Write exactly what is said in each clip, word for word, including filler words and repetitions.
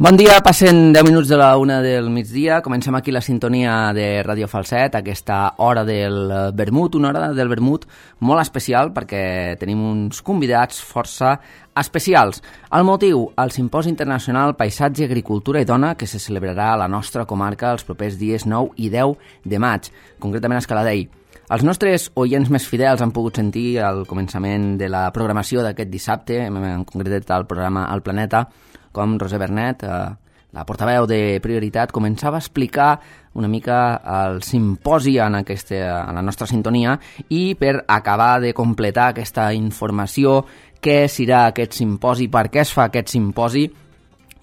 Bon dia, passen deu minuts de la una del migdia. Comencem aquí la sintonia de Ràdio Falset, aquesta hora del vermut, una hora del vermut molt especial perquè tenim uns convidats força especials. El motiu, el Simposi Internacional Paisatge, Agricultura i Dona, que se celebrarà a la nostra comarca els propers dies nou i deu de maig, concretament a Escaladei. Els nostres oients més fidels han pogut sentir al començament de la programació d'aquest dissabte, en concret el programa El Planeta, com Roser Bernet, eh, la portaveu de Prioritat, començava a explicar una mica el simposi en, aquesta, en la nostra sintonia i per acabar de completar aquesta informació, què serà aquest simposi, per què es fa aquest simposi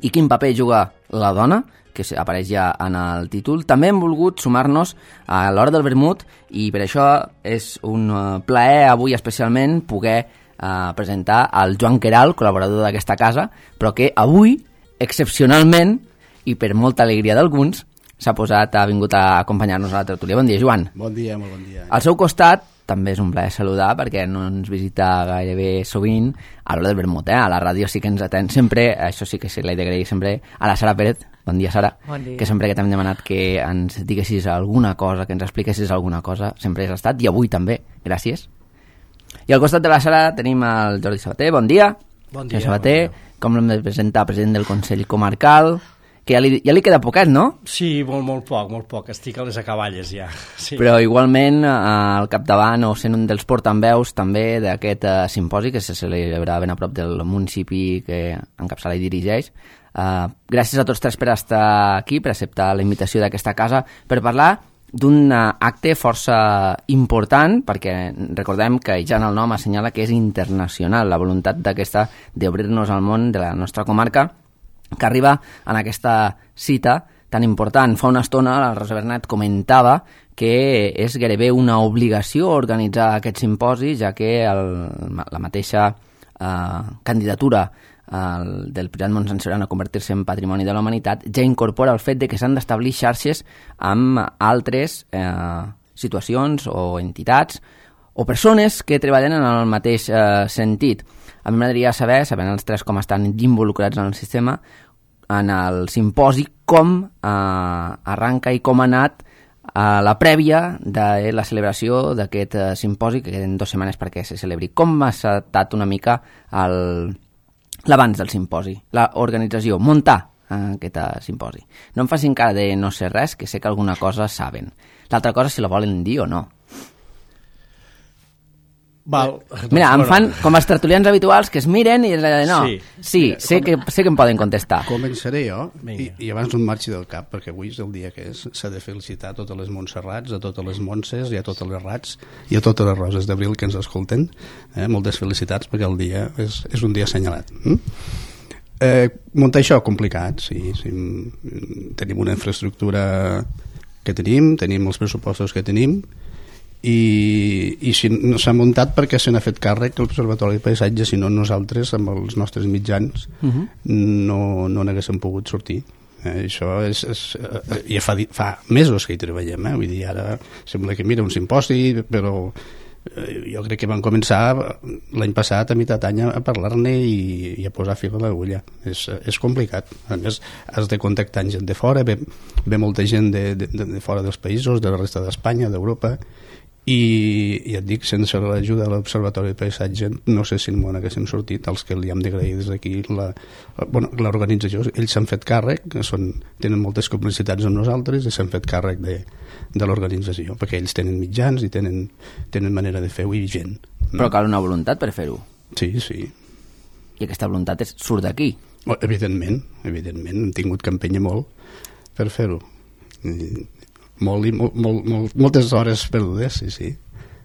i quin paper juga la dona, que apareix ja en el títol. També hem volgut sumar-nos a l'hora del vermut i per això és un plaer avui especialment poder a presentar el Joan Queralt, col·laborador d'aquesta casa, però que avui, excepcionalment, i per molta alegria d'alguns, s'ha posat, ha vingut a acompanyar-nos a la tertúlia. Bon dia, Joan. Bon dia, molt bon dia. Al seu costat, també és un plaer saludar, perquè no ens visita gairebé sovint a l'hora del vermut, eh? A la ràdio sí que ens atén sempre, això sí que se l'he d'agrair sempre, a la Sara Pérez. Bon dia, Sara. Bon dia. Que sempre que t'hem demanat que ens diguessis alguna cosa, que ens expliquessis alguna cosa, sempre has estat, i avui també. Gràcies. I al costat de la Sara tenim el Jordi Sabater. Bon dia. Bon dia. Sabater, bon dia. Com l'hem de presentar? President del Consell Comarcal, que ja li, ja li queda poquet, no? Sí, molt, molt poc, molt poc. Estic a les acaballes ja. Sí. Però igualment al capdavant o sent un dels portaveus també d'aquest uh, simposi que se celebrarà ben a prop del municipi que encapçala i dirigeix. Uh, gràcies a tots tres per estar aquí, per acceptar la invitació d'aquesta casa, per parlar d'un acte força important, perquè recordem que ja en el nom assenyala que és internacional, la voluntat d'aquesta d'obrir-nos al món de la nostra comarca, que arriba en aquesta cita tan important. Fa una estona la Rosa Bernet comentava que és gairebé una obligació organitzar aquest simposi, ja que el, la mateixa eh, candidatura el, del Priorat Montsant a convertir-se en Patrimoni de la Humanitat ja incorpora el fet de que s'han d'establir xarxes amb altres eh, situacions o entitats o persones que treballen en el mateix eh, sentit. A mi m'agradaria saber, sabent els tres com estan involucrats en el sistema, en el simposi, com eh, arranca i com ha anat a la prèvia de la celebració d'aquest eh, simposi, que queden dues setmanes perquè se celebri. Com ha estat una mica el... l'abans del simposi, l'organització, muntar aquest simposi. No em facin cara de no sé res, que sé que alguna cosa saben. L'altra cosa si la volen dir o no. Val. Mira, em fan com els tertulians habituals que es miren i és allà de no. Sí, sí Mira, sé, que, sé que em poden contestar. Començaré jo i, i abans no em marxi del cap, perquè avui és el dia que és. S'ha de felicitar a totes les Montserrats, a totes les Montses i a totes les Rats i a totes les Roses d'Abril que ens escolten. Eh? Moltes felicitats perquè el dia és, és un dia assenyalat. Mm? Eh, muntar això complicat, sí, sí. Tenim una infraestructura que tenim, tenim els pressupostos que tenim, i, i si no s'ha muntat perquè se n'ha fet càrrec l'Observatori de Paisatge, si no nosaltres amb els nostres mitjans uh-huh. no, no n'haguéssim pogut sortir. Eh, això és, és eh, ja fa, fa mesos que hi treballem, eh? Vull dir, ara sembla que mira un simposi, però eh, jo crec que vam començar l'any passat a mitjà d'any a parlar-ne i, i a posar fil a l'agulla. És, és complicat. A més, has de contactar gent de fora, ve, ve molta gent de, de, de fora dels països, de la resta d'Espanya, d'Europa, i ja et dic, sense l'ajuda de l'Observatori de Paisatge no sé si en món haguéssim sortit. Els que li hem d'agrair des d'aquí la, bueno, l'organització, ells s'han fet càrrec, són, tenen moltes complicitats amb nosaltres i s'han fet càrrec de, de l'organització, perquè ells tenen mitjans i tenen, tenen manera de fer-ho i gent. Però cal una voluntat per fer-ho. Sí, sí. I aquesta voluntat és, surt d'aquí. Oh, evidentment, evidentment, hem tingut que empènyer molt per fer-ho. I, Molt, molt, molt, molt, moltes hores perdudes, sí, sí.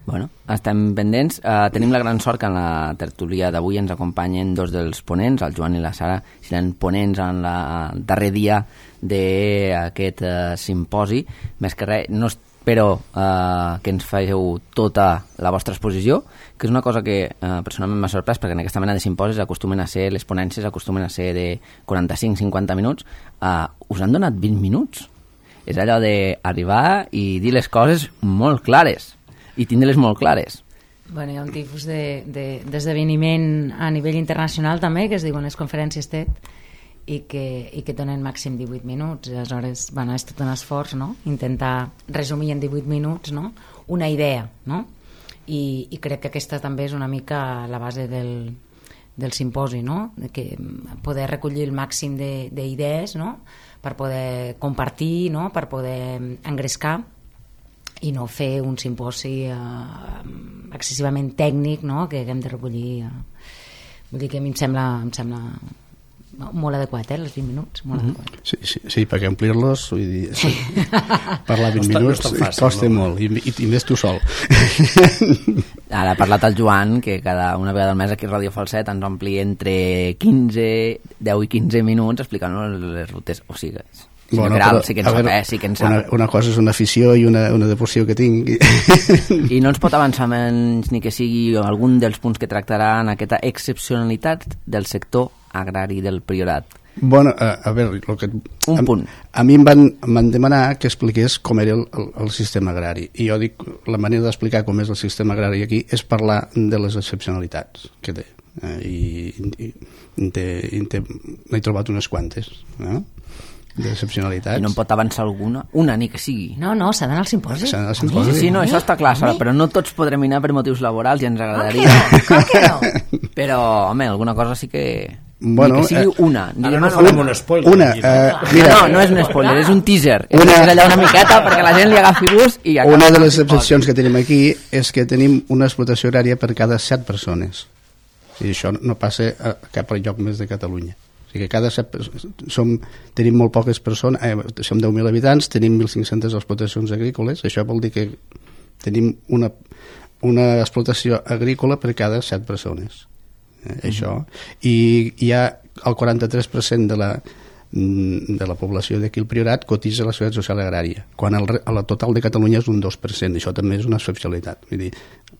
Bueno, estem pendents. Uh, tenim la gran sort que en la tertúlia d'avui ens acompanyen dos dels ponents, el Joan i la Sara, seran ponents en la, el darrer dia d'aquest uh, simposi. Més que res, no espero uh, que ens feu tota la vostra exposició, que és una cosa que uh, personalment m'ha sorprès, perquè en aquesta mena de simposis acostumen a ser, les ponències acostumen a ser de quaranta-cinc a cinquanta minuts. Uh, us han donat vint minuts? És allò d'arribar i dir les coses molt clares, i tindre-les molt clares. Bueno, hi ha un tipus d'esdeveniment de, de, a nivell internacional també, que es diuen les conferències TED, i que, i que donen màxim divuit minuts. Aleshores, bueno, és tot un esforç, no? Intentar resumir en divuit minuts, no? Una idea, no? I, i crec que aquesta també és una mica la base del, del simposi, no? De que poder recollir el màxim d'idees, no? Per poder compartir, no? Per poder engrescar i no fer un simposi eh, excessivament tècnic, no? Que haguem de recollir. Eh. Vull dir que a mi em sembla, em sembla molt adequat, eh, els vint minuts, molt mm-hmm. adequat. Sí, sí, sí, perquè omplir-los, vull dir, sí, parlar vint no minuts no fàcil, costa no? molt, i, i, i més tu sol. Ara ha parlat el Joan, que cada una vegada al mes aquí a Ràdio Falset ens ompli entre quinze, deu i quinze minuts explicant les rutes, o sigui, sí, bueno, Grau, però, sí que en sap, eh? Sí que en sap. Una, una cosa és una afició i una, una devoció que tinc. I no ens pot avançar menys ni que sigui algun dels punts que tractarà en aquesta excepcionalitat del sector agrari del Priorat. Bueno, a, a veure... Lo que, Un a, punt. A mi em van, em van demanar que expliqués com era el, el, el sistema agrari. I jo dic, la manera d'explicar com és el sistema agrari aquí és parlar de les excepcionalitats que té. Eh, I i, i té, i té, n'he trobat unes quantes, no? D'excepcionalitats. I no en pot avançar alguna? Una, ni que sigui. No, no, s'ha d'anar al simposi. S'ha d'anar al simposi. Sí, sí, no, això està clar, Sara, però no tots podrem anar per motius laborals i ens agradaria. Com que no? Com que no? Però, home, alguna cosa sí que... Bueno, ni que sigui eh, una. Ara no farem un spoiler. Una, eh, mira, no, no és un spoiler, és un teaser. Una, és allà una miqueta perquè la gent li agafi gust i... Una de les excepcions que tenim aquí és que tenim una explotació horària per cada set persones. I això no passa a cap lloc més de Catalunya. O sigui que cada set, som, tenim molt poques persones, eh, som deu mil habitants, tenim mil cinc-centes explotacions agrícoles, això vol dir que tenim una, una explotació agrícola per cada set persones. Eh, mm-hmm. Això. I hi ha el quaranta-tres per cent de la, de la població d'aquí al Priorat cotitza a la Seguretat Social Agrària, quan el, el total de Catalunya és un dos per cent. Això també és una excepcionalitat. Vull dir,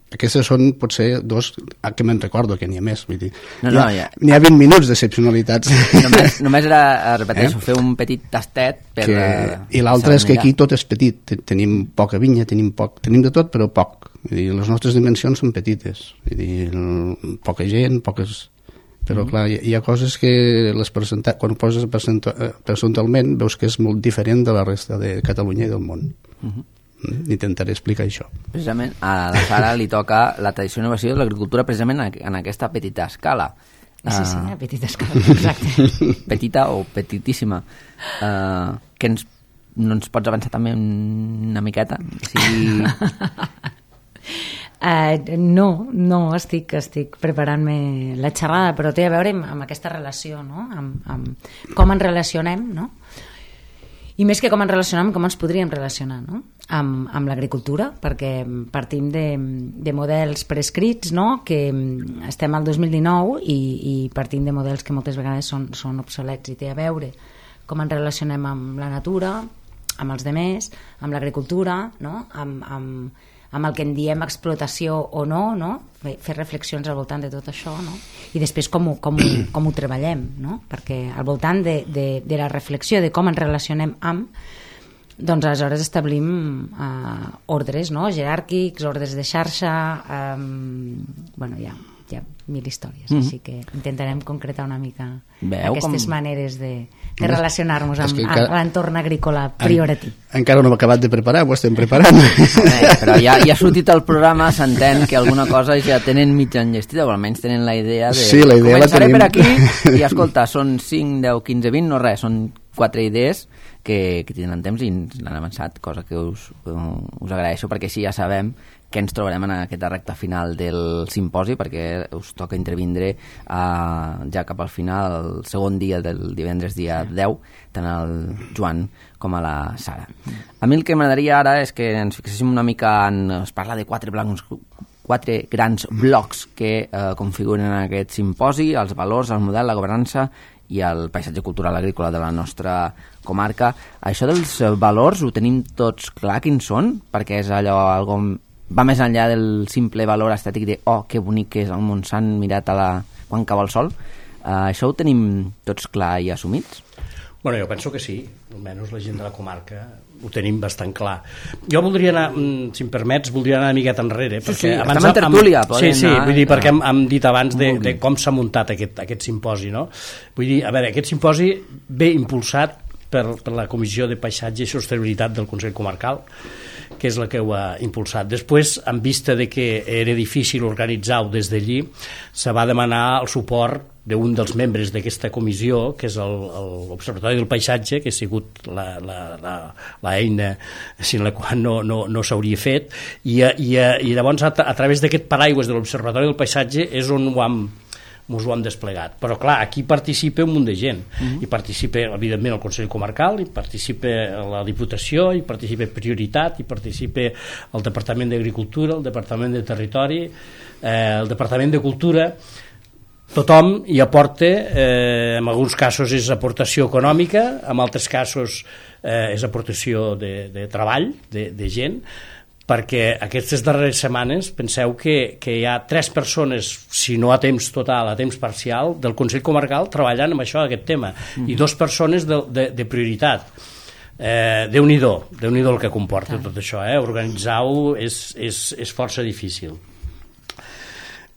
aquestes són, potser, dos que me'n recordo, que n'hi ha més. Vull dir, no, no, ja... n'hi ha vint minuts d'excepcionalitats. Només, només era, repeteixo, eh? fer un petit tastet per... Que... La... I l'altre és que aquí tot és petit. Tenim poca vinya, tenim poc, tenim de tot, però poc. Vull dir, les nostres dimensions són petites. Vull dir, poca gent, poques... Però, mm-hmm. clar, hi, hi ha coses que les presenta... quan ho poses percentualment veus que és molt diferent de la resta de Catalunya i del món. Mm-hmm. Intentaré explicar això. Precisament a la Sara li toca la tradició i innovació de l'agricultura precisament en aquesta petita escala. Sí, sí, uh, petita escala, exacte. Petita o petitíssima. Uh, que ens, no ens pots avançar també una miqueta? Sí. Uh, no, no, estic, estic preparant-me la xerrada, però té a veure amb, amb aquesta relació, no? Amb, amb com ens relacionem, no? I més que com ens relacionem, com ens podríem relacionar, no? Amb, amb l'agricultura, perquè partim de, de models prescrits, no? Que estem al dos mil dinou i, i partim de models que moltes vegades són, són obsolets, i té a veure com ens relacionem amb la natura, amb els demés, amb l'agricultura, no? Amb, amb, amb el que en diem explotació o no, no? Fer reflexions al voltant de tot això, no? I després com ho, com ho, com ho treballem, no? Perquè al voltant de, de, de la reflexió de com ens relacionem amb, doncs aleshores establim uh, ordres, no? Jeràrquics, ordres de xarxa, um, bueno, ja, ja mil històries, mm-hmm. Així que intentarem concretar una mica Veu aquestes com... maneres de, de relacionar-nos amb encara... l'entorn agrícola prioratí. En, encara no hem acabat de preparar, ho estem preparant. Eh, però ja, ja ha sortit el programa, s'entén que alguna cosa ja tenen mitja enllestida, o almenys tenen la idea de... Sí, la idea començaré la tenim. per aquí i escolta, són cinc, deu, quinze, vint, no res, són quatre idees que, que tenen temps i ens l'han avançat, cosa que us, us agraeixo, perquè així ja sabem que ens trobarem en aquesta recta final del simposi, perquè us toca intervindre uh, ja cap al final, el segon dia del divendres dia deu, tant el Joan com a la Sara. A mi el que m'agradaria ara és que ens fixéssim una mica en... es parla de quatre blancs, quatre grans blocs que eh, configuren en aquest simposi, els valors, el model, la governança i el paisatge cultural agrícola de la nostra comarca. Això dels valors ho tenim tots clar quins són, perquè és allò algo, va més enllà del simple valor estètic de oh, que bonic que és el Montsant mirat a la... quan cau el sol. Uh, això ho tenim tots clar i assumits? Bueno, jo penso que sí, almenys la gent de la comarca ho tenim bastant clar. Jo voldria anar, si em permets, voldria anar una miqueta enrere. Sí, perquè sí, abans estem en tertúlia. Sí, sí, anar, vull dir, perquè hem, hem dit abans de, vulgui. de com s'ha muntat aquest, aquest simposi, no? Vull dir, a veure, aquest simposi ve impulsat per, per la Comissió de Paisatge i Sostenibilitat del Consell Comarcal, que és la que ho ha impulsat. Després, en vista de que era difícil organitzar-ho des d'allí, se va demanar el suport d'un dels membres d'aquesta comissió, que és l'Observatori del Paisatge, que ha sigut l'eina sin la qual no, no, no s'hauria fet, i, i, i llavors a, a través d'aquest paraigües de l'Observatori del Paisatge és on ho hem ens ho hem desplegat. Però clar, aquí participa un munt de gent. Mm-hmm. Hi participa, evidentment, el Consell Comarcal, hi participa la Diputació, hi participa Prioritat, hi participa el Departament d'Agricultura, el Departament de Territori, eh, el Departament de Cultura. Tothom hi aporta, eh, en alguns casos és aportació econòmica, en altres casos eh, és aportació de, de treball, de, de gent, perquè aquestes darreres setmanes penseu que, que hi ha tres persones, si no a temps total, a temps parcial, del Consell Comarcal treballant amb això, aquest tema, mm-hmm. i dos persones de, de, de Prioritat. Eh, Déu-n'hi-do, Déu-n'hi-do el que comporta ah. tot això, eh? Organitzar-ho és, és, és força difícil.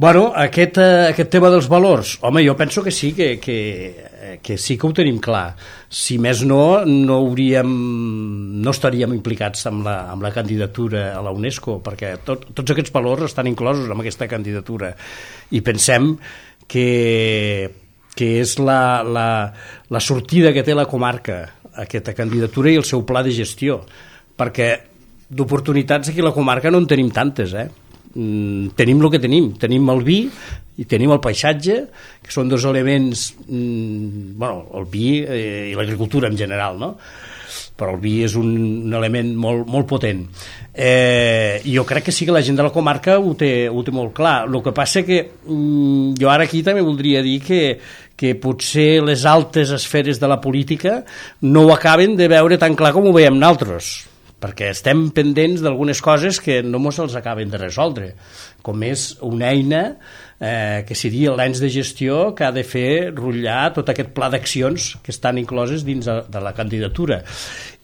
Bueno, aquest, aquest tema dels valors, home, jo penso que sí, que, que, que sí que ho tenim clar. Si més no, no hauríem, no estaríem implicats amb la, amb la candidatura a la UNESCO, perquè tot, tots aquests valors estan inclosos en aquesta candidatura. I pensem que, que és la, la, la sortida que té la comarca, aquesta candidatura i el seu pla de gestió, perquè d'oportunitats aquí a la comarca no en tenim tantes, eh? Mm, tenim el que tenim, tenim el vi i tenim el paisatge, que són dos elements, mm, bueno, el vi eh, i l'agricultura en general, no? Però el vi és un, un element molt, molt potent. Eh, jo crec que sí que la gent de la comarca ho té, ho té molt clar. El que passa que mm, jo ara aquí també voldria dir que, que potser les altes esferes de la política no ho acaben de veure tan clar com ho veiem nosaltres, perquè estem pendents d'algunes coses que no ens els acaben de resoldre, com és una eina eh, que seria l'ens de gestió que ha de fer rutllar tot aquest pla d'accions que estan incloses dins de, de la candidatura.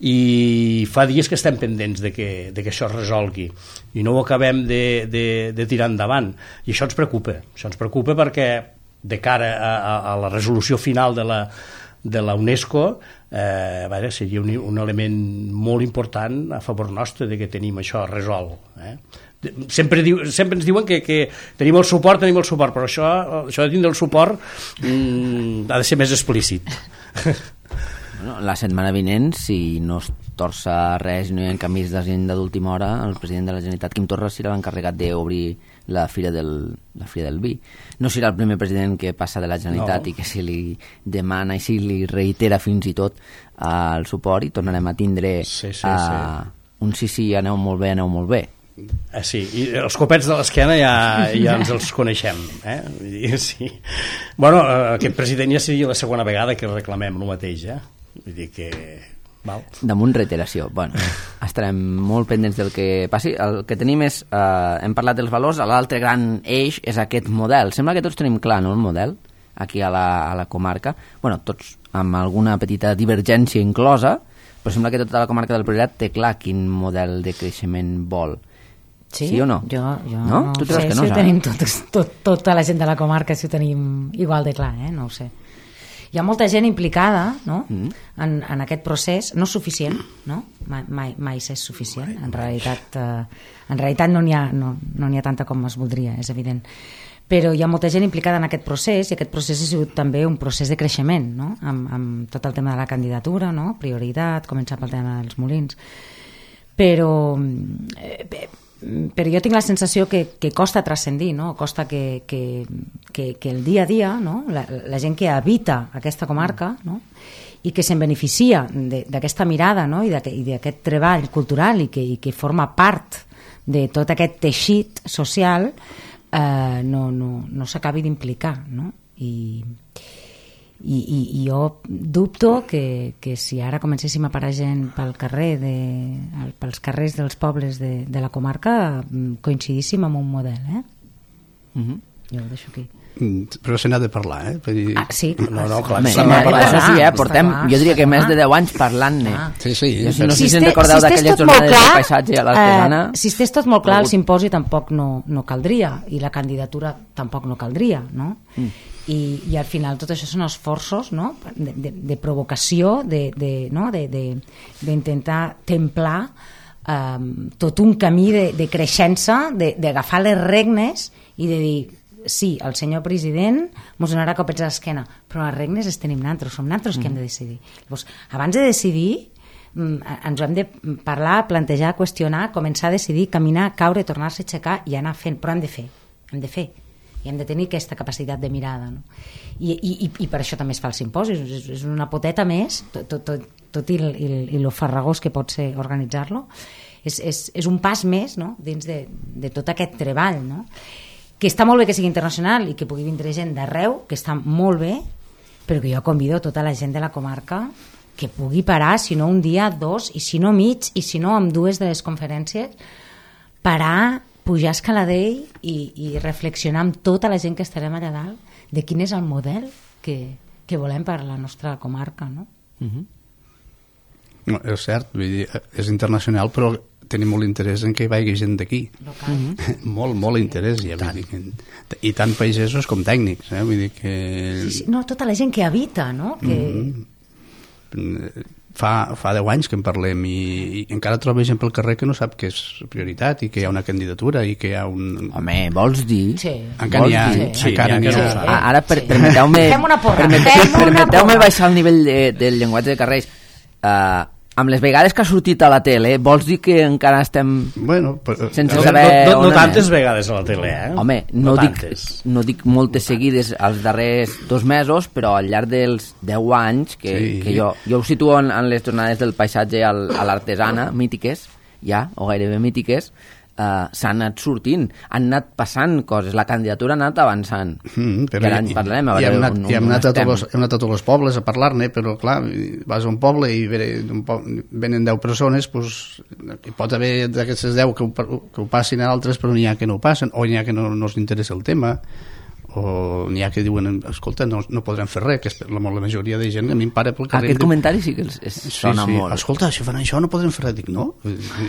I fa dies que estem pendents de que, de que això es resolgui i no ho acabem de, de, de tirar endavant. I això ens preocupa. Això ens preocupa perquè de cara a, a, a la resolució final de la de la UNESCO, eh, veure, seria un, un element molt important a favor nostre de que tenim això resolt. Eh? Sempre, diu, sempre ens diuen que, que tenim el suport, tenim el suport, però això, això de tindre el suport mm, ha de ser més explícit. Bueno, la setmana vinent, si no es torça res, no hi ha canvis d'agenda d'última hora, el president de la Generalitat, Quim Torra, serà l'encarregat d'obrir la Fira del, la Fira del Vi. No serà el primer president que passa de la Generalitat no. i que se li demana i se li reitera fins i tot uh, el suport, i tornarem a tindre sí, sí, uh, sí. un sí, sí, aneu molt bé, aneu molt bé. Ah, sí, i els copets de l'esquena ja, ja ens els coneixem, eh? Vull dir, sí. Bueno, aquest president ja seria la segona vegada que reclamem el mateix, eh? Vull dir que... Val. Damunt reiteració. Bueno, estarem molt pendents del que passi. El que tenim és, eh, hem parlat dels valors, l'altre gran eix és aquest model. Sembla que tots tenim clar, no?, el model aquí a la, a la comarca. Bueno, tots amb alguna petita divergència inclosa, però sembla que tota la comarca del Priorat té clar quin model de creixement vol. Sí, sí o no? Jo, jo no? no Tu ho sé, que no, si ho tenim tot, tot, tota la gent de la comarca, si ho tenim igual de clar, eh? No ho sé. Hi ha molta gent implicada, no?, mm. en, en aquest procés, no és suficient, no? Mai, mai, mai és suficient. En realitat, eh, en realitat no n'hi ha, no, no n'hi ha tanta com es voldria, és evident. Però hi ha molta gent implicada en aquest procés, i aquest procés ha sigut també un procés de creixement, no?, amb, amb tot el tema de la candidatura, no?, prioritat, començar pel tema dels molins. Però... Eh, però jo tinc la sensació que, que costa transcendir, no? Costa que, que, que, que el dia a dia, no?, la, la gent que habita aquesta comarca, no?, i que se'n beneficia d'aquesta mirada, no?, i d'aquest treball cultural i que, i que forma part de tot aquest teixit social, eh, no, no, no s'acabi d'implicar, no? I... I, i, i jo dubto que, que si ara comencéssim a parar gent pel carrer de, pels carrers dels pobles de, de la comarca coincidíssim amb un model, eh? Mm-hmm. Jo ho deixo aquí. Però se n'ha de parlar, eh? Per dir... Ah, sí. No, no, clar. Home, Sí, home, clar, això sí, eh? Portem, clar, jo diria que clar. més de deu anys parlant-ne. Ah. Sí, sí. Jo no sé Si si en este- recordeu si estés d'aquelles tot molt jornades clar, de paisatge a l'artesana. Eh, si estés tot molt clar, el simposi tampoc no, no caldria, i la candidatura tampoc no caldria, no? Mm. I, i al final tot això són esforços, no? de, de, de provocació, de, de, no? de, de, d'intentar templar eh, tot un camí de, de creixença, de, d'agafar les regnes i de dir sí, el senyor president mos donarà copets a l'esquena, però les regnes les tenim nosaltres, som nosaltres mm. que hem de decidir. Llavors, abans de decidir, ens ho hem de parlar, plantejar, qüestionar, començar a decidir, caminar, caure, tornar-se a aixecar i anar fent, però hem de fer, hem de fer. I hem de tenir aquesta capacitat de mirada. No? I, i, I per això també es fa el simposi, és, és una poteta més, tot, tot, tot, tot i, i, i lo farragós que pot ser organitzar-lo, és, és, és un pas més, no? Dins de, de tot aquest treball, no? Que està molt bé que sigui internacional i que pugui vindre gent d'arreu, que està molt bé, però que jo convido tota la gent de la comarca que pugui parar, si no un dia, dos, i si no mig, i si no amb dues de les conferències, parar, pujar escaladell i, i reflexionar amb tota la gent que estarem allà dalt de quin és el model que, que volem per a la nostra comarca, no? Uh-huh. No, és cert, vull dir, és internacional, però tenim molt interès en que hi vagi gent d'aquí. Mm-hmm. molt, molt interès. Ja, vull dir que, i tant pagesos com tècnics. Eh? Vull dir que... Sí, sí, no, tota la gent que habita, no? Que... Mm-hmm. Fa, fa deu anys que en parlem i, i encara trobo gent pel carrer que no sap que és prioritat i que hi ha una candidatura i que hi ha un... Home, vols dir? Sí. Encara n'hi ha, Sí, sí, encara n'hi n'hi ha ha. que no ho Ah, ara, per, Sí. permeteu-me Fem una porra, permete- fem una permeteu-me porra. baixar el nivell de, del llenguatge de carrers. Uh, amb les vegades que ha sortit a la tele, vols dir que encara estem... Bueno, però, Sense No, saber no, no, on no tantes anem? vegades a la tele, eh? Home, no, no dic, tantes. no dic moltes seguides els darrers dos mesos, però al llarg dels deu anys, que, Sí. que jo, jo ho situo en, en les jornades del paisatge al, a l'artesana, mítiques, ja, o gairebé mítiques, Uh, s'han anat sortint, han anat passant coses, la candidatura ha anat avançant. Mm, però I ara en i- parlarem, a i veure hem anat, on, i hem on anat a estem. tots, hem anat a tots els pobles a parlar-ne, però clar, vas a un poble i ve, d'un po venen deu persones, pues, hi pot haver d'aquestes deu que ho, que ho passin a altres, però n'hi ha que no ho passen, o n'hi ha que no, no els interessa el tema, o n'hi ha que diuen, escolta, no, no podrem fer res, que és la, la majoria de gent a mi em para pel carrer. Aquest comentari sí que es, es Sí, sona sí. molt. Escolta, si fan això no podrem fer res. Dic, no,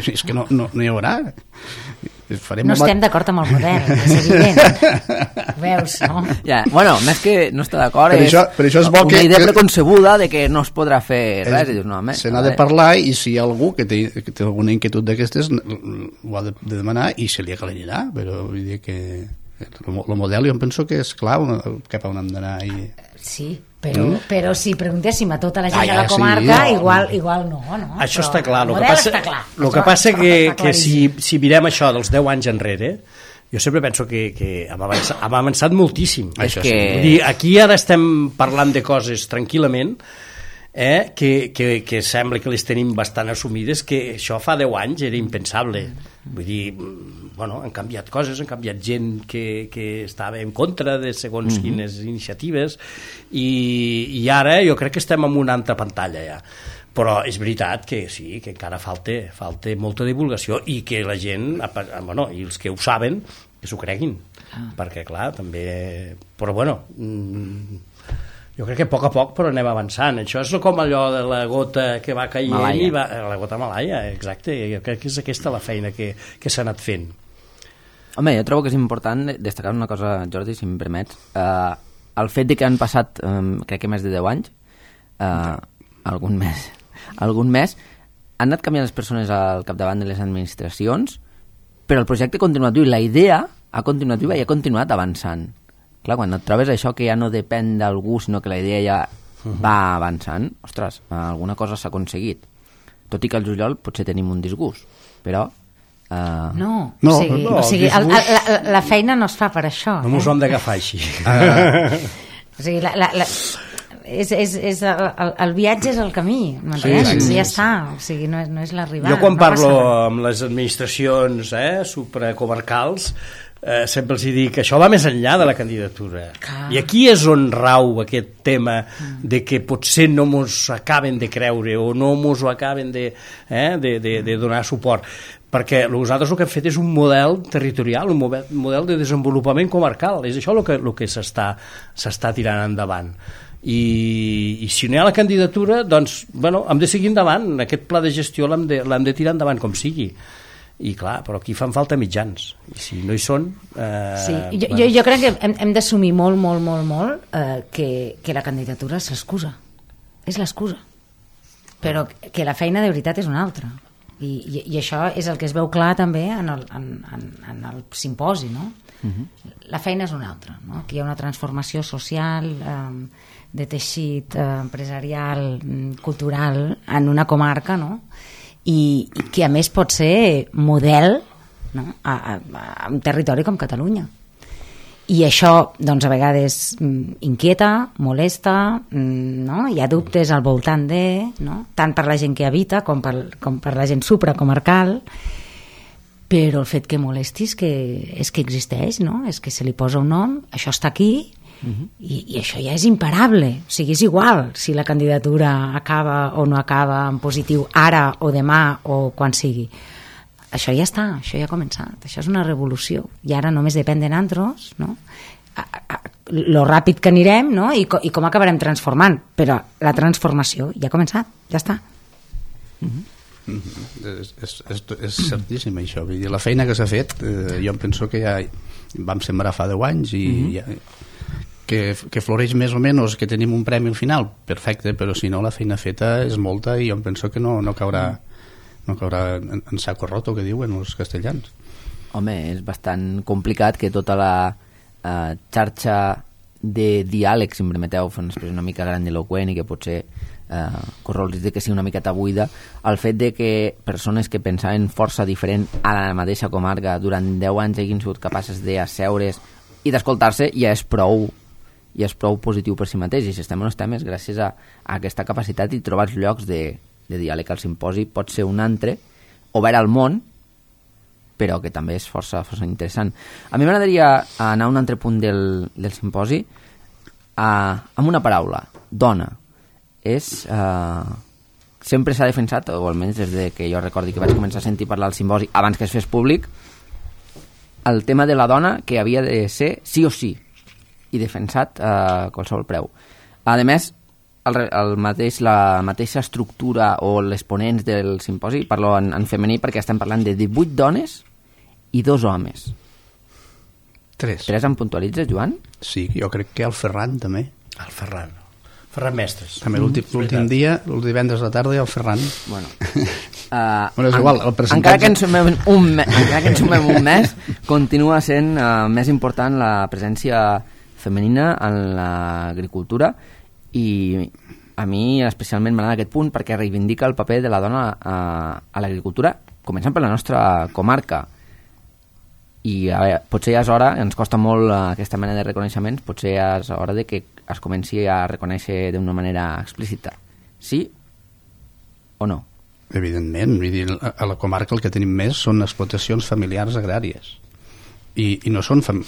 és que no, no, no hi haurà. Farem No un estem d'acord amb el model, és evident. Veus, no? Ja, bueno, més que no està d'acord, Per és això- per això és bo una que- idea que- preconcebuda de que no es podrà fer res. I dius, no, home, se n'ha de parlar i si hi ha algú que té, que té alguna inquietud d'aquestes ho ha de, de demanar i se li aclarirà, però vull dir que el model jo em penso que és clar una, cap a on hem d'anar i... Sí, però, mm. però si preguntéssim a tota la gent Ah, de ja, la comarca, sí, no. igual, igual no, no? Això Però està clar. El El que model passa, està clar. el que Això passa està- que, està que si, claríssim. si mirem això dels deu anys enrere, jo sempre penso que, que hem, avançat, hem avançat moltíssim. Això És sí. Vull dir, aquí ara estem parlant de coses tranquil·lament, eh, que, que, que sembla que les tenim bastant assumides, que això fa deu anys era impensable. Vull dir, bueno, han canviat coses, han canviat gent que, que estava en contra de segons mm-hmm. quines iniciatives i, i ara jo crec que estem en una altra pantalla ja. Però és veritat que sí, que encara falta, falta molta divulgació i que la gent, bueno, i els que ho saben, que s'ho creguin, ah. perquè clar, també... Però bueno, jo crec que a poc a poc però anem avançant. Això és com allò de la gota que va caient Malaia. i va... La gota malaia, exacte, jo crec que és aquesta la feina que, que s'ha anat fent. Home, jo trobo que és important destacar una cosa, Jordi, si em permets. Uh, el fet de que han passat, um, crec que més de deu anys, uh, algun mes, algun mes, han anat canviant les persones al capdavant de les administracions, però el projecte continuatiu i la idea ha continuat viva i ha continuat avançant. Clar, quan et trobes això que ja no depèn d'algú, sinó que la idea ja uh-huh. va avançant, ostres, alguna cosa s'ha aconseguit. Tot i que al juliol potser tenim un disgust, però... Uh... No, No, o sigui, no, o sigui el el, disgust- el, la, la feina no es fa per això. No mos eh? hem d'agafar així. O sigui, la, la, la, és, és, és el, el, el viatge és el camí, m'entens? Sí, sí, ja sí. està, o sigui, no és, no és l'arribada. Jo quan no parlo passa res. amb les administracions eh, supracomarcals eh, sempre els dic que això va més enllà de la candidatura. Clar. I aquí és on rau aquest tema de que potser no mos acaben de creure o no mos ho acaben de, eh, de, de, de donar suport. perquè nosaltres el que hem fet és un model territorial, un model, un model de desenvolupament comarcal, és això el que, el que s'està s'està tirant endavant. I, i si no hi ha la candidatura, doncs, bueno, hem de seguir endavant, aquest pla de gestió l'hem de, l'hem de tirar endavant com sigui. I clar, però aquí fan falta mitjans, i si no hi són... Eh, sí, jo, bueno. jo, jo crec que hem, hem d'assumir molt, molt, molt, molt eh, que, que la candidatura és l'excusa, és l'excusa, però que la feina de veritat és una altra. I, i, i això és el que es veu clar també en el, en, en, en el simposi, no? Uh-huh. La feina és una altra, no? Aquí hi ha una transformació social, eh, de teixit eh, empresarial, cultural, en una comarca, no? I, i que a més pot ser model, no? a, a, a un territori com Catalunya. I això doncs, a vegades inquieta, molesta, no? Hi ha dubtes al voltant de, no? Tant per la gent que habita com per, com per la gent supracomarcal, però el fet que molesti és que, és que existeix, no? És que se li posa un nom, això està aquí. Uh-huh. I, i això ja és imparable, o sigui, és igual si la candidatura acaba o no acaba en positiu ara o demà o quan sigui, això ja està, això ja ha començat, això és una revolució i ara només depèn de nosaltres, no? A, a, lo ràpid que anirem, no? I, co, i com acabarem transformant, però la transformació ja ha començat, ja està. Uh-huh. Mm-hmm. És, és, és, és certíssim això, vull dir, la feina que s'ha fet, eh, jo em penso que ja vam sembrar fa deu anys i uh-huh. ja Que, que floreix més o menys, que tenim un premi al final, perfecte, però si no la feina feta és molta i jo em penso que no, no caurà, no caurà en, en saco roto, que diuen els castellans. Home, és bastant complicat que tota la eh, xarxa de diàleg, si em permeteu, fer una expressió una mica grandiloquent i que potser eh, corre el risc de que sigui una miqueta buida, el fet de que persones que pensaven força diferent a la mateixa comarca durant deu anys hagin sigut capaces d'asseure's i d'escoltar-se ja és prou i és prou positiu per si mateix, i si estem on estem és gràcies a, a aquesta capacitat i trobar els llocs de, de diàleg. Al simposi pot ser un altre, obert al món, però que també és força, força interessant. A mi m'agradaria anar a un altre punt del, del simposi a, amb una paraula, dona. És, eh, sempre s'ha defensat, o almenys des de que jo recordi que vaig començar a sentir parlar al simposi abans que es fes públic, el tema de la dona que havia de ser sí o sí i defensat a qualsevol preu. A més, el, el mateix, la mateixa estructura o els ponents del simposi, parlo en, en femení perquè estem parlant de divuit dones i dos homes. Tres. Tres em puntualitzes, Joan? Sí, jo crec que el Ferran també. El Ferran. Ferran Mestres. També l'últim mm, dia, el divendres de tarda, i el Ferran. Bueno, uh, bueno és en, igual, el percentatge... encara, que ens sumem un me, encara que ens sumem un mes, continua sent uh, més important la presència femenina en l'agricultura i a mi especialment m'agrada aquest punt perquè reivindica el paper de la dona a, a l'agricultura, començant per la nostra comarca. I a veure, potser ja és hora, ens costa molt aquesta mena de reconeixements, potser ja és hora de que es comenci a reconèixer d'una manera explícita. Sí o no? Evidentment, vull dir, a la comarca el que tenim més són explotacions familiars agràries. I, i no són fam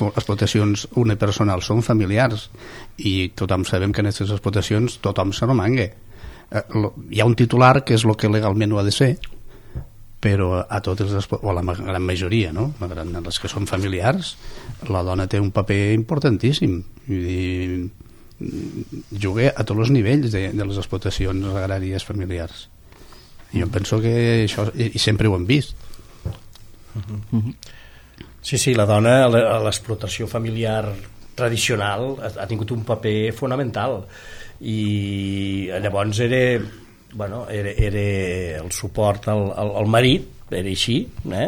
explotacions unipersonals, són familiars, i tothom sabem que en aquestes explotacions tothom se romangue. Eh, lo, hi ha un titular que és el que legalment ho ha de ser, però a totes les, o a la gran majoria, no? La gran, les que són familiars, la dona té un paper importantíssim. Vull dir, juga a tots els nivells de, de les explotacions agràries familiars. I jo penso que això, i, i sempre ho hem vist. Uh-huh. Uh-huh. Sí, sí, la dona a l'explotació familiar tradicional ha, ha tingut un paper fonamental i llavors era, bueno, era, era el suport al, al, al marit, era així, eh?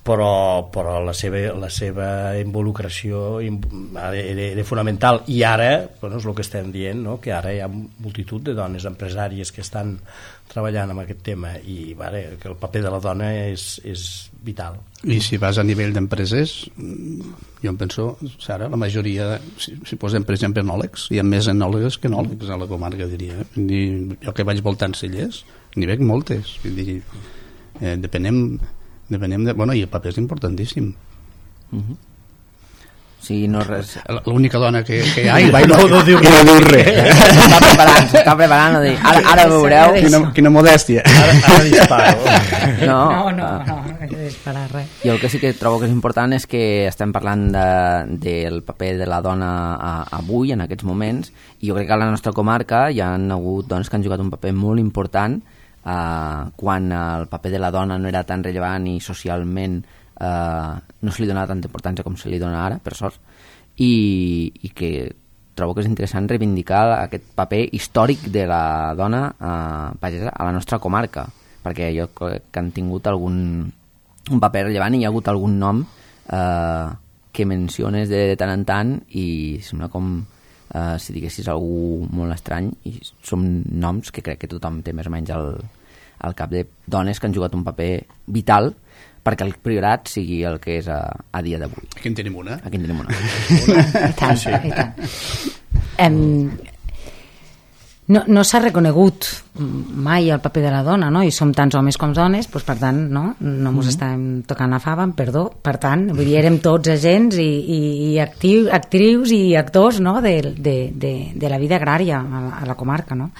però, però la, seva, la seva involucració era, era fonamental i ara, bueno, és el que estem dient, no? Que ara hi ha multitud de dones empresàries que estan treballant amb aquest tema i vale, que el paper de la dona és, és vital. I si vas a nivell d'empreses, jo em penso, Sara, la majoria, si, si posem per exemple enòlegs, hi ha més enòlegs que enòlegs a la comarca, diria. I jo que vaig voltant cellers, n'hi veig moltes. Vull dir, eh, depenem, depenem de... Bueno, i el paper és importantíssim. Uh-huh. sigui, no res... L'única dona que, que hi ha i, no, no, no diu i no diu res. S'està preparant, s'està preparant, dir, ara, ara veureu... Quina, quina modèstia. Ara, ara disparo. No, no, no, no, no he de disparar res. I el que sí que trobo que és important és que estem parlant de, del paper de la dona a, avui, en aquests moments, i jo crec que a la nostra comarca hi ha hagut dones que han jugat un paper molt important eh, quan el paper de la dona no era tan rellevant i socialment Uh, no se li donava tanta importància com se li dona ara, per sort, i, i que trobo que és interessant reivindicar aquest paper històric de la dona uh, pagesa a la nostra comarca, perquè jo crec que han tingut algun un paper rellevant i hi ha hagut algun nom uh, que menciones de tant en tant i sembla com uh, si diguessis algú molt estrany, i són noms que crec que tothom té més o menys al, al cap, de dones que han jugat un paper vital perquè el Priorat sigui el que és a, a dia d'avui. Aquí en tenim una. Aquí en tenim una. I tant, sí. I tant. Um, no no s'ha reconegut mai el paper de la dona, no? I som tants homes com dones, doncs per tant, no, no mos mm-hmm. estàvem tocant la fava, perdó, per tant, vull dir, érem tots agents i, i, i actiu, actrius i actors, no?, de, de, de, de la vida agrària a la, a la comarca, no?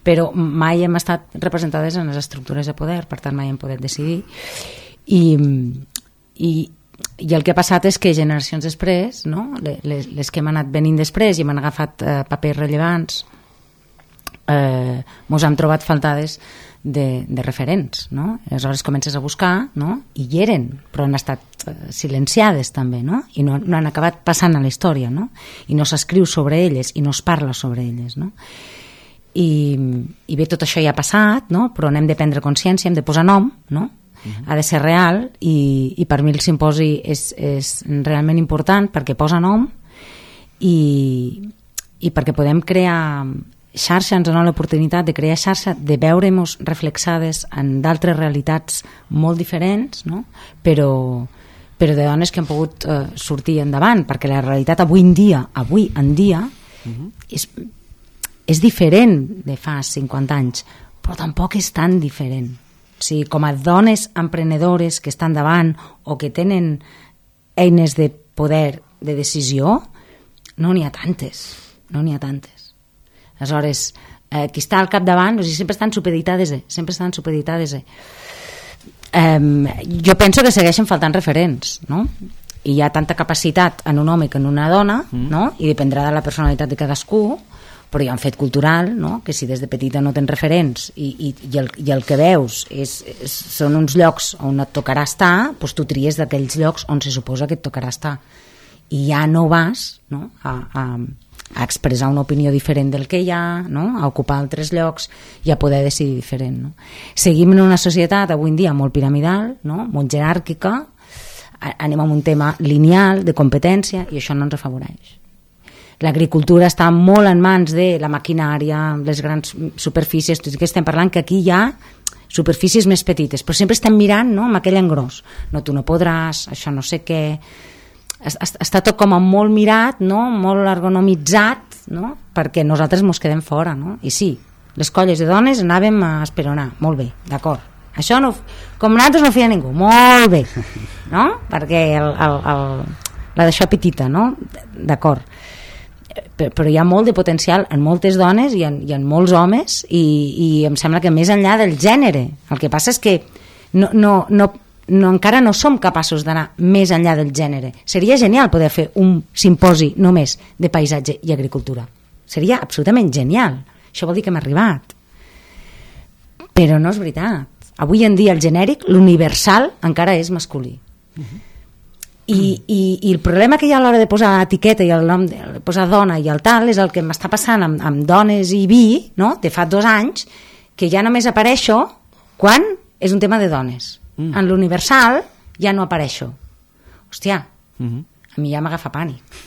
Però mai hem estat representades en les estructures de poder, per tant mai hem pogut decidir. I, i, i el que ha passat és que generacions després, no? les, les que hem anat venint després i hem agafat eh, papers rellevants, eh, mos hem trobat faltades de, de referents, no? Aleshores comences a buscar, no? I hi eren, però han estat eh, silenciades també, no? I no, no han acabat passant a la història, no? I no s'escriu sobre elles i no es parla sobre elles, no? I, i bé, tot això ja ha passat, no? Però n'hem de prendre consciència, hem de posar nom, no? Ha de ser real i, i per mi el simposi és, és realment important perquè posa nom i, i perquè podem crear xarxa, ens dona l'oportunitat de crear xarxa, de veure-nos reflexades en d'altres realitats molt diferents, no? però, però de dones que han pogut eh, sortir endavant, perquè la realitat avui en dia, avui en dia uh-huh. és, és diferent de fa cinquanta anys, però tampoc és tan diferent. O sigui, com a dones emprenedores que estan davant o que tenen eines de poder de decisió, no n'hi ha tantes, no n'hi ha tantes. Aleshores, eh, qui està al capdavant, o sigui, sempre estan supeditades, eh? sempre estan supeditades. Eh? Eh, jo penso que segueixen faltant referents, no? I hi ha tanta capacitat en un home que en una dona, mm. no? I dependrà de la personalitat de cadascú, però hi ha un fet cultural, no? Que si des de petita no tens referents i, i, i, el, i el que veus és, és, són uns llocs on et tocarà estar, doncs tu tries d'aquells llocs on se suposa que et tocarà estar. I ja no vas, no? a, a, a expressar una opinió diferent del que hi ha, no? A ocupar altres llocs i a poder decidir diferent. No? Seguim en una societat avui en dia molt piramidal, no? Molt jeràrquica, anem a un tema lineal de competència i això no ens afavoreix. L'agricultura està molt en mans de la maquinària, les grans superfícies, tot i que estem parlant que aquí hi ha superfícies més petites, però sempre estem mirant, no?, amb aquell engròs. No, tu no podràs, això no sé què... Està tot com a molt mirat, no?, molt ergonomitzat, no?, perquè nosaltres mos quedem fora, no? I sí, les colles de dones anàvem a esperonar, molt bé, d'acord. Això no, com nosaltres no feia ningú, molt bé, no?, perquè el, el, el, la d'això petita, no?, d'acord. Però hi ha molt de potencial en moltes dones i en, i en molts homes i, i em sembla que més enllà del gènere. El que passa és que no, no, no, no, encara no som capaços d'anar més enllà del gènere. Seria genial poder fer un simposi només de paisatge i agricultura. Seria absolutament genial. Això vol dir que hem arribat. Però no és veritat. Avui en dia el genèric, l'universal, encara és masculí. Uh-huh. I, i, i el problema que hi ha a l'hora de posar etiqueta i el nom de posar dona i el tal és el que m'està passant amb, amb dones i vi, no?, de fa dos anys, que ja només apareixo quan és un tema de dones. Mm. En l'universal ja no apareixo. Hòstia, mm-hmm. a mi ja m'agafa pànic.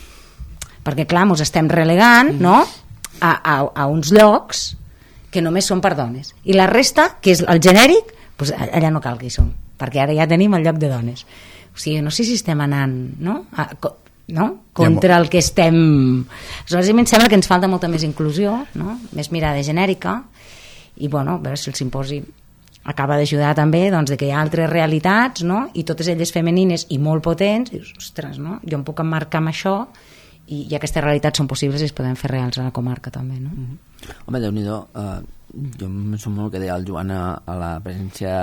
Perquè, clar, mos estem relegant, mm. no?, a, a, a uns llocs que només són per dones. I la resta, que és el genèric, doncs allà no cal que hi som, perquè ara ja tenim el lloc de dones. O sigui, no sé si estem anant, no?, a, no? contra el que estem... Aleshores, a mi em sembla que ens falta molta més inclusió, no?, més mirada genèrica, i, bueno, a veure si el simposi acaba d'ajudar també doncs, de que hi ha altres realitats, no? I totes elles femenines i molt potents, i dius, ostres, no? Jo em puc emmarcar amb això i, i aquestes realitats són possibles i es poden fer reals a la comarca també, no? Mm-hmm. Home, Déu-n'hi-do, eh, jo em som molt que deia el Joan a, a la presència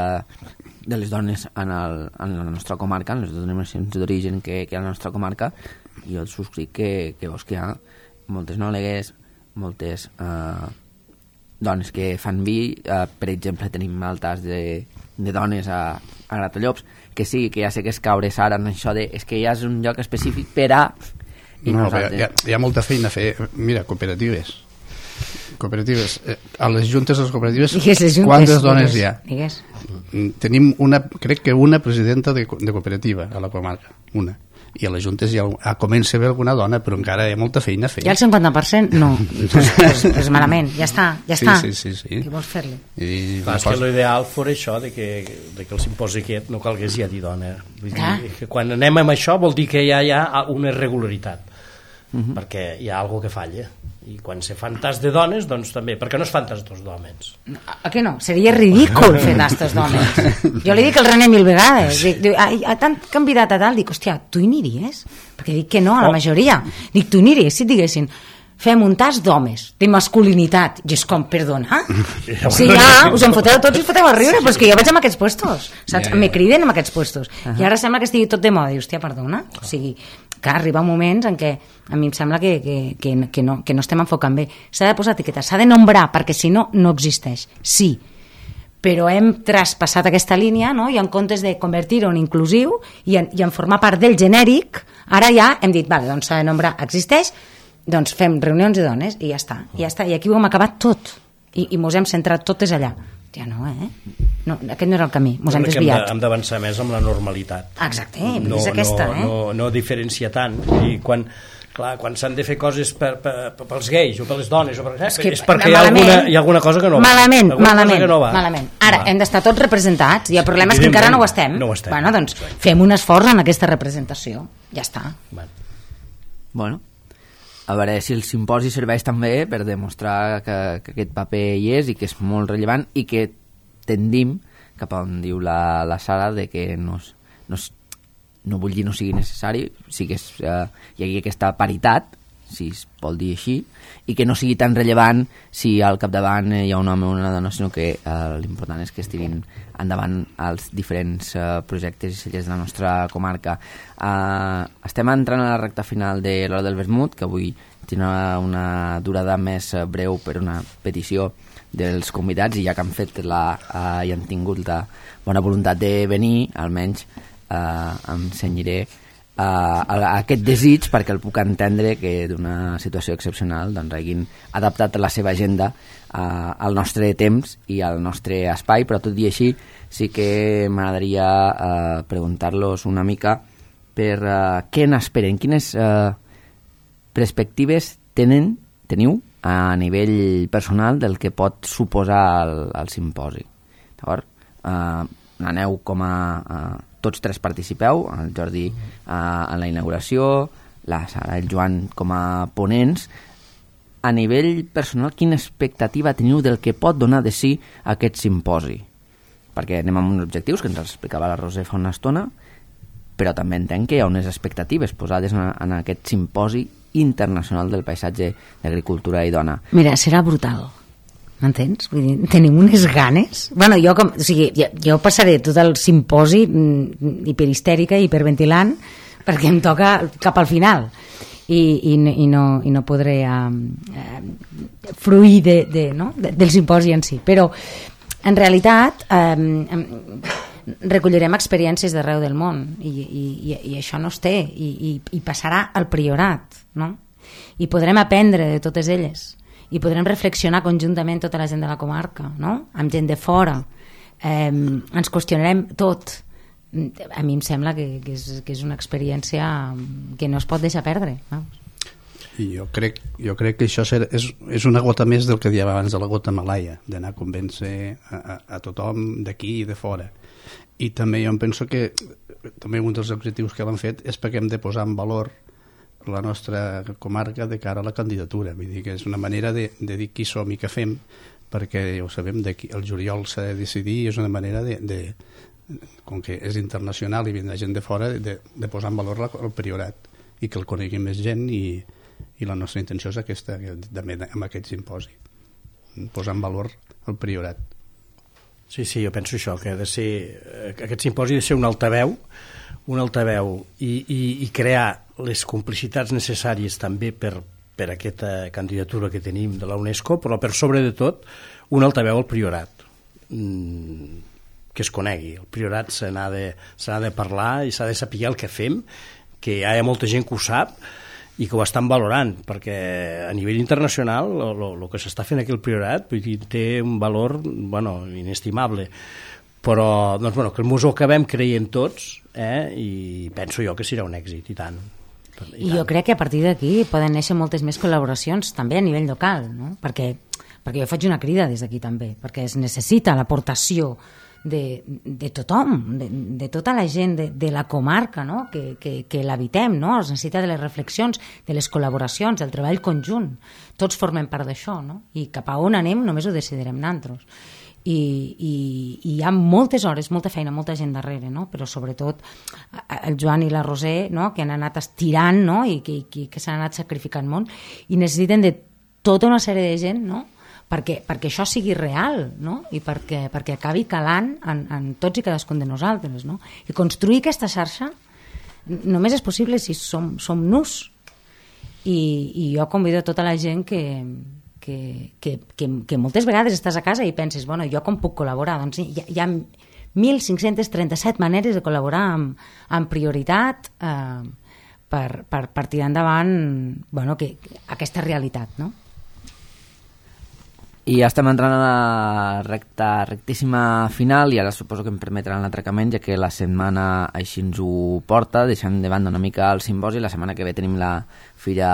de les dones en, el, en la nostra comarca, en les denominacions d'origen que, que hi ha a la nostra comarca, i jo et subscric que, que veus que hi ha moltes nòlegues, moltes eh, dones que fan vi, eh, per exemple tenim altres de, de dones a, a Gratallops, que sí, que ja sé que és caure ara en això de, és que ja és un lloc específic per a... I no, nosaltres... hi, ha, hi ha molta feina a fer, mira, cooperatives cooperatives, eh, a les juntes de les cooperatives, digues, les juntes, quantes dones digues, hi ha? Digues. Tenim una, crec que una presidenta de, de cooperativa a la comarca, una, i a les juntes ja ha, comença a haver alguna dona, però encara hi ha molta feina a fer. I el cinquanta per cent? No, pues, pues, pues malament, ja està, ja sí, està. Sí, sí, sí. Què vols fer-li? I Clar, és que l'ideal fos això, de que, de que el simposi aquest no calgués ja dir dona. Vull dir, que quan anem amb això vol dir que ja hi ha una irregularitat, uh-huh. perquè hi ha alguna que falla. I quan se fan tas de dones, doncs també, perquè no es fan tas dos d'homes. A què no? Seria ridícul fer tastes d'homes. Jo li dic al René mil vegades, dic, dic, a tant candidat a tal, dic, hòstia, tu hi aniries? Perquè dic que no, a la majoria. Dic, tu hi aniries, si et diguessin, fem un tas d'homes, de masculinitat, i és com, perdona? Si ja us en foteu tots i us foteu a riure, però és que jo vaig amb aquests puestos, saps? Me criden amb aquests puestos. I ara sembla que estigui tot de moda, i hòstia, perdona? O sigui, que arriba moments en què a mi em sembla que, que, que, que, no, que no estem enfocant bé. S'ha de posar etiqueta, s'ha de nombrar, perquè si no, no existeix. Sí, però hem traspassat aquesta línia, no? I en comptes de convertir-ho en inclusiu i en, i en formar part del genèric, ara ja hem dit, vale, doncs s'ha de nombrar, existeix, doncs fem reunions de dones i ja està, i ja està, i aquí ho hem acabat tot i, i mos hem centrat totes allà. Ja no, eh? No, aquest no era el camí, mos hem desviat. Hem d'avançar més amb la normalitat. Exacte, no, és aquesta, no, eh? No, no diferenciar tant, i quan, clar, quan s'han de fer coses per, per, per, pels gais o per les dones, o per, eh? és, que, és perquè hi ha, alguna, hi ha alguna cosa que no va. Malament, malament, no va. malament. Ara, va. Hem d'estar tots representats, i el problema és que encara no ho estem. No ho estem. Bueno, doncs fem un esforç en aquesta representació, ja està. Bueno, bueno. A veure si el simposi serveix també per demostrar que, que aquest paper hi és i que és molt rellevant i que tendim cap a on diu la, la Sara de que no, no, no vull dir no sigui necessari, sí que és, eh, hi hagi aquesta paritat, si es vol dir així, i que no sigui tan rellevant si al capdavant hi ha un home o una dona, sinó que eh, l'important és que es tirin endavant els diferents eh, projectes i cellers de la nostra comarca. Eh, estem entrant a la recta final de l'Hora del Vermut, que avui tindrà una durada més breu per una petició dels convidats, i ja que han fet la, eh, i han tingut la bona voluntat de venir, almenys eh, em cenyiré Uh, a aquest desig, perquè el puc entendre que d'una situació excepcional doncs hagin adaptat la seva agenda uh, al nostre temps i al nostre espai, però tot i així sí que m'agradaria uh, preguntar-los una mica per uh, què n'esperen, quines uh, perspectives tenen, teniu a nivell personal del que pot suposar el, el simposi. D'acord? Uh, aneu com a uh, tots tres participeu, el Jordi eh, en la inauguració, la Sara i el Joan com a ponents. A nivell personal, quina expectativa teniu del que pot donar de si aquest simposi? Perquè anem amb uns objectius que ens els explicava la Roser fa una estona, però també entenc que hi ha unes expectatives posades en, en aquest simposi internacional del paisatge d'agricultura i dona. Mira, serà brutal. M'entens? Vull dir, tenim unes ganes. Bueno, jo, com, o sigui, jo, jo passaré tot el simposi mm, hiperhistèrica, hiperventilant, perquè em toca cap al final. I, i, i, no, i no podré uh, uh, fruir de, de, no? de, del simposi en si. Però, en realitat, um, recollirem experiències d'arreu del món i, i, i, i això no es té. I, i, i passarà al Priorat, no? I podrem aprendre de totes elles. I podrem reflexionar conjuntament tota la gent de la comarca, no? Amb gent de fora. Eh, ens qüestionarem tot. A mi em sembla que, que, és, que és una experiència que no es pot deixar perdre. No? I jo crec, jo crec que això serà, és, és una gota més del que dèiem abans de la gota malaia, d'anar a convèncer a, a, a tothom d'aquí i de fora. I també jo em penso que també un dels objectius que l'han fet és perquè hem de posar en valor la nostra comarca de cara a la candidatura, vull dir que és una manera de, de dir qui som i què fem, perquè ja ho sabem, d'aquí el juliol s'ha de decidir i és una manera de, de com que és internacional i vindrà gent de fora, de, de posar en valor la, el priorat i que el conegui més gent i, i la nostra intenció és aquesta, també amb aquest simposi, posar en valor el priorat. Sí, sí, jo penso això, que ha de ser, aquest simposi ha de ser un altaveu, un altaveu i, i, i crear les complicitats necessàries també per, per aquesta candidatura que tenim de la UNESCO, però per sobre de tot un altaveu al priorat, mm, que es conegui. El priorat se n'ha de, se n'ha de parlar i s'ha de saber el que fem, que hi ha molta gent que ho sap i que ho estan valorant, perquè a nivell internacional el que s'està fent aquí al priorat vull dir, té un valor bueno, inestimable, però doncs, bueno, que el museu acabem creient tots eh, i penso jo que serà un èxit i tant. I, I jo crec que a partir d'aquí poden néixer moltes més col·laboracions també a nivell local, no? perquè, perquè jo faig una crida des d'aquí també, perquè es necessita l'aportació de, de tothom, de, de tota la gent de, de la comarca, no? que, que, que l'habitem, no? Es necessita de les reflexions, de les col·laboracions, del treball conjunt. Tots formem part d'això, no? I cap a on anem només ho decidirem nosaltres. I, i, i hi ha moltes hores, molta feina, molta gent darrere, no? Però sobretot el Joan i la Roser, no? Que han anat estirant, no? I que, que, que s'han anat sacrificant molt i necessiten de tota una sèrie de gent, no? Perquè, perquè això sigui real, no? I perquè, perquè acabi calant en, en tots i cadascun de nosaltres, no? I construir aquesta xarxa només és possible si som, som nus. I, i jo convido a tota la gent que, que, que, que, que moltes vegades estàs a casa i penses, bueno, jo com puc col·laborar? Doncs hi, hi ha mil cinc-cents trenta-set maneres de col·laborar amb, amb prioritat eh, per, per, per tirar endavant bueno, que, aquesta realitat, no? I ja estem entrant a la recta, rectíssima final i ara suposo que em permetran l'atracament, ja que la setmana així ens ho porta, deixant de banda una mica el simposi. La setmana que ve tenim la fira,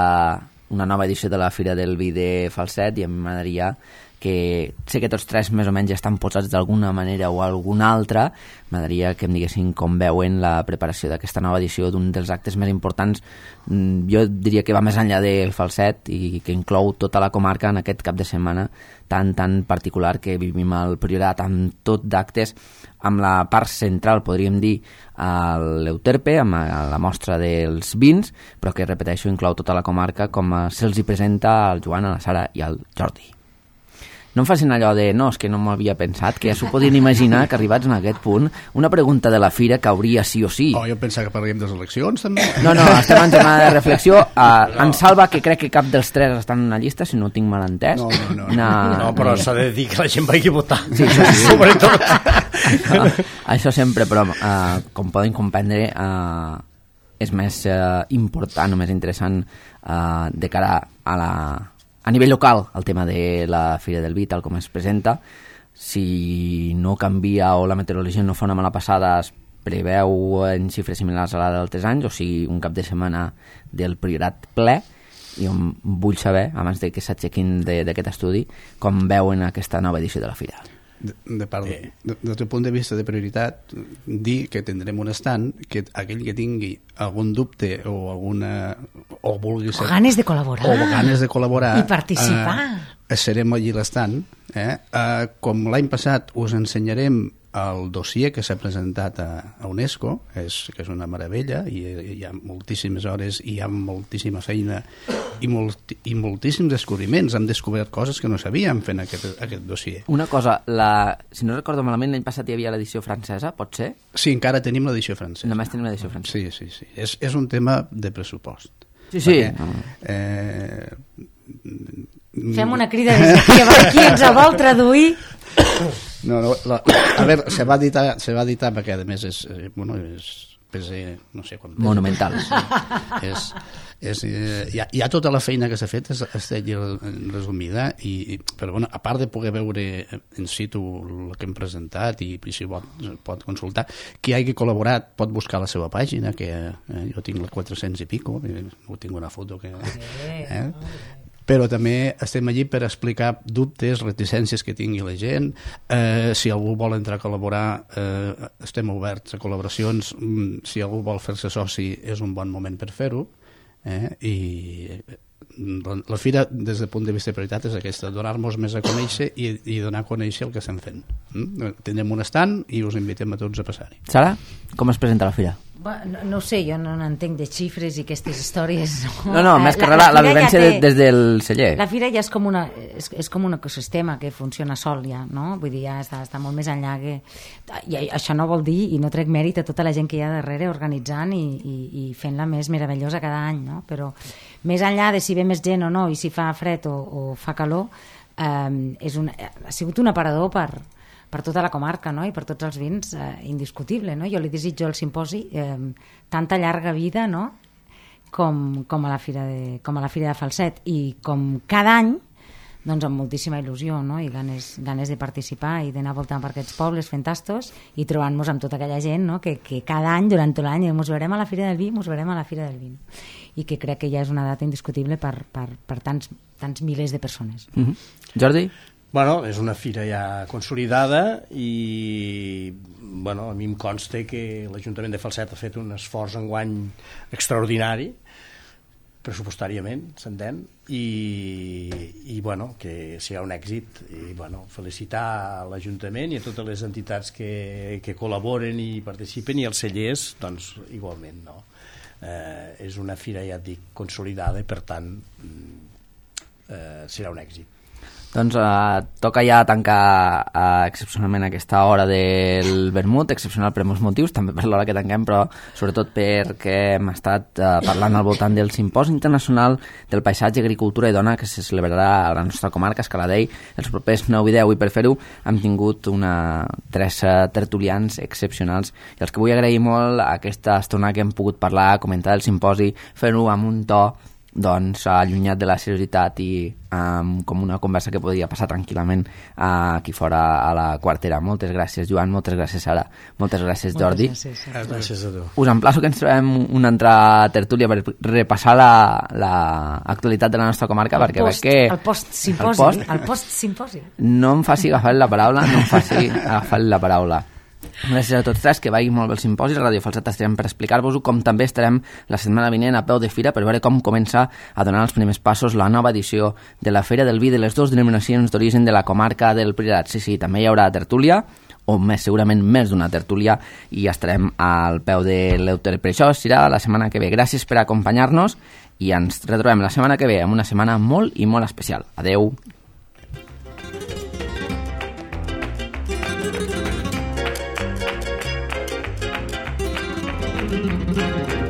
una nova edició de la Fira del Vi de Falset i a mi m'agradaria que sé que tots tres més o menys ja estan posats d'alguna manera o alguna altra, m'agradaria que em diguessin com veuen la preparació d'aquesta nova edició d'un dels actes més importants, jo diria que va més enllà del Falset i que inclou tota la comarca en aquest cap de setmana tan tan particular que vivim al Priorat, amb tot d'actes, amb la part central, podríem dir, a l'Euterpe, amb la mostra dels vins, però que, repeteixo, inclou tota la comarca com se'ls hi presenta al Joan, a la Sara i al Jordi. No em facin allò de, no, és que no m'havia pensat, que ja s'ho podien imaginar que arribats en aquest punt, una pregunta de la fira cauria sí o sí. Oh, jo pensava que parlaríem de les eleccions, també. No, no, estem en jornada de reflexió. Uh, en Salva, que crec que cap dels tres estan en una llista, si no ho tinc mal entès. No, no, no. Na... no però s'ha de dir que la gent vagi a votar. Sí, sí, sí. Sobretot. això, això sempre, però uh, com poden comprendre, uh, és més uh, important o més interessant uh, de cara a la... A nivell local, el tema de la Fira del Vi, tal com es presenta, si no canvia o la meteorologia no fa una mala passada, es preveu en xifres similars a la d'altres anys, o sigui, un cap de setmana del Priorat ple, i vull saber, abans de que s'aixequin d'aquest estudi, com veuen aquesta nova edició de la Fira. De, de part, eh. de, des del punt de vista de prioritat, dir que tindrem un stand que aquell que tingui algun dubte o alguna o vulgui ser, o ganes de col·laborar o ganes de col·laborar i participar eh, serem allí l'estand eh? eh, com l'any passat us ensenyarem el dossier que s'ha presentat a, a UNESCO, és, que és una meravella i hi ha moltíssimes hores i hi ha moltíssima feina i, molt, i moltíssims descobriments. Hem descobert coses que no sabíem fent aquest, aquest dossier. Una cosa, la, si no recordo malament, l'any passat hi havia l'edició francesa, pot ser? Sí, encara tenim l'edició francesa. Només tenim l'edició francesa. Sí, sí, sí. És, és un tema de pressupost. Sí, sí. Perquè, eh, fem una crida des d'aquí, a veure qui ens vol traduir. No, no, la, a veure, se va editar, se va editar perquè a més és, bueno, és pesa, no sé quant pesa. Monumental. Sí, és, és, eh, hi, ha, hi ha tota la feina que s'ha fet, està allí resumida, i, però bueno, a part de poder veure in situ el que hem presentat i si pot, pot consultar, qui hagi col·laborat pot buscar la seva pàgina, que eh, jo tinc la quatre-cents i pico, ho tinc una foto que... Eh? Però també estem allí per explicar dubtes, reticències que tingui la gent. Eh, si algú vol entrar a col·laborar, eh, estem oberts a col·laboracions. Si algú vol fer-se soci, és un bon moment per fer-ho. Eh? I la fira, des del punt de vista de prioritat, és aquesta, donar-nos més a conèixer i, i donar a conèixer el que estem fent. Mm? Tindrem un stand i us invitem a tots a passar-hi. Sara, com es presenta la fira? No, no ho sé, jo no n'entenc de xifres i aquestes històries. No, no, més que la, la, la vivència ja té, des del celler. La fira ja és com, una, és, és com un ecosistema que funciona sol ja, no? Vull dir, ja està, està molt més enllà que... I això no vol dir, i no trec mèrit a tota la gent que hi ha darrere organitzant i, i, i fent-la més meravellosa cada any, no? Però més enllà de si ve més gent o no i si fa fred o, o fa calor, eh, és un, ha sigut un aparador per... per tota la comarca, no? I per tots els vins, eh, indiscutible, no? Jo li desitjo al simposi eh, tanta llarga vida, no? com, com, a la fira de, com a la Fira de Falset, i com cada any, doncs amb moltíssima il·lusió, no? I ganes, ganes de participar i d'anar voltant per aquests pobles fent tastos i trobant-nos amb tota aquella gent, no? que, que cada any, durant tot l'any, ens veurem a la Fira del Vi, ens veurem a la Fira del Vi, i que crec que ja és una data indiscutible per, per, per tants, tants milers de persones. Mm-hmm. Jordi? Bueno, és una fira ja consolidada i bueno, a mi em consta que l'Ajuntament de Falset ha fet un esforç enguany extraordinari, pressupostàriament, s'entén, i, i bueno, que serà un èxit. I bueno, felicitar l'Ajuntament i a totes les entitats que, que col·laboren i participen, i els cellers, doncs, igualment, no? Eh, és una fira, ja et dic, consolidada, i per tant eh, serà un èxit. Doncs eh, toca ja tancar eh, excepcionalment aquesta hora del vermut, excepcional per molts motius, també per l'hora que tanquem, però sobretot perquè hem estat eh, parlant al voltant del Simposi Internacional del Paisatge, Agricultura i Dona, que se celebrarà a la nostra comarca, Escaladei, els propers nou i deu, i per fer-ho hem tingut una, tres uh, tertulians excepcionals, i els que vull agrair molt aquesta estona que hem pogut parlar, comentar el simposi, fer-ho amb un to doncs allunyat de la seriositat i um, com una conversa que podria passar tranquil·lament uh, aquí fora a la quartera. Moltes gràcies, Joan, moltes gràcies, Sara, moltes gràcies, Jordi. Moltes gràcies, gràcies a tu. Us emplaço que ens trobem una altra tertúlia per repassar l'actualitat la, la de la nostra comarca, el perquè post, veig que... El post-simposi. El, post, el post-simposi. No em faci agafar la paraula, no em faci agafar la paraula. Gràcies a tots tres, que vagi molt bé el simposi. A Ràdio Falset estarem per explicar-vos-ho, com també estarem la setmana vinent a peu de fira per veure com comença a donar els primers passos la nova edició de la Fira del Vi de les dues denominacions d'origen de la comarca del Priorat. Sí, sí, també hi haurà tertúlia, o més segurament més d'una tertúlia, i estarem al peu de l'Euter. Per això serà la setmana que ve. Gràcies per acompanyar-nos i ens retrobem la setmana que ve amb una setmana molt i molt especial. Adeu. Thank you.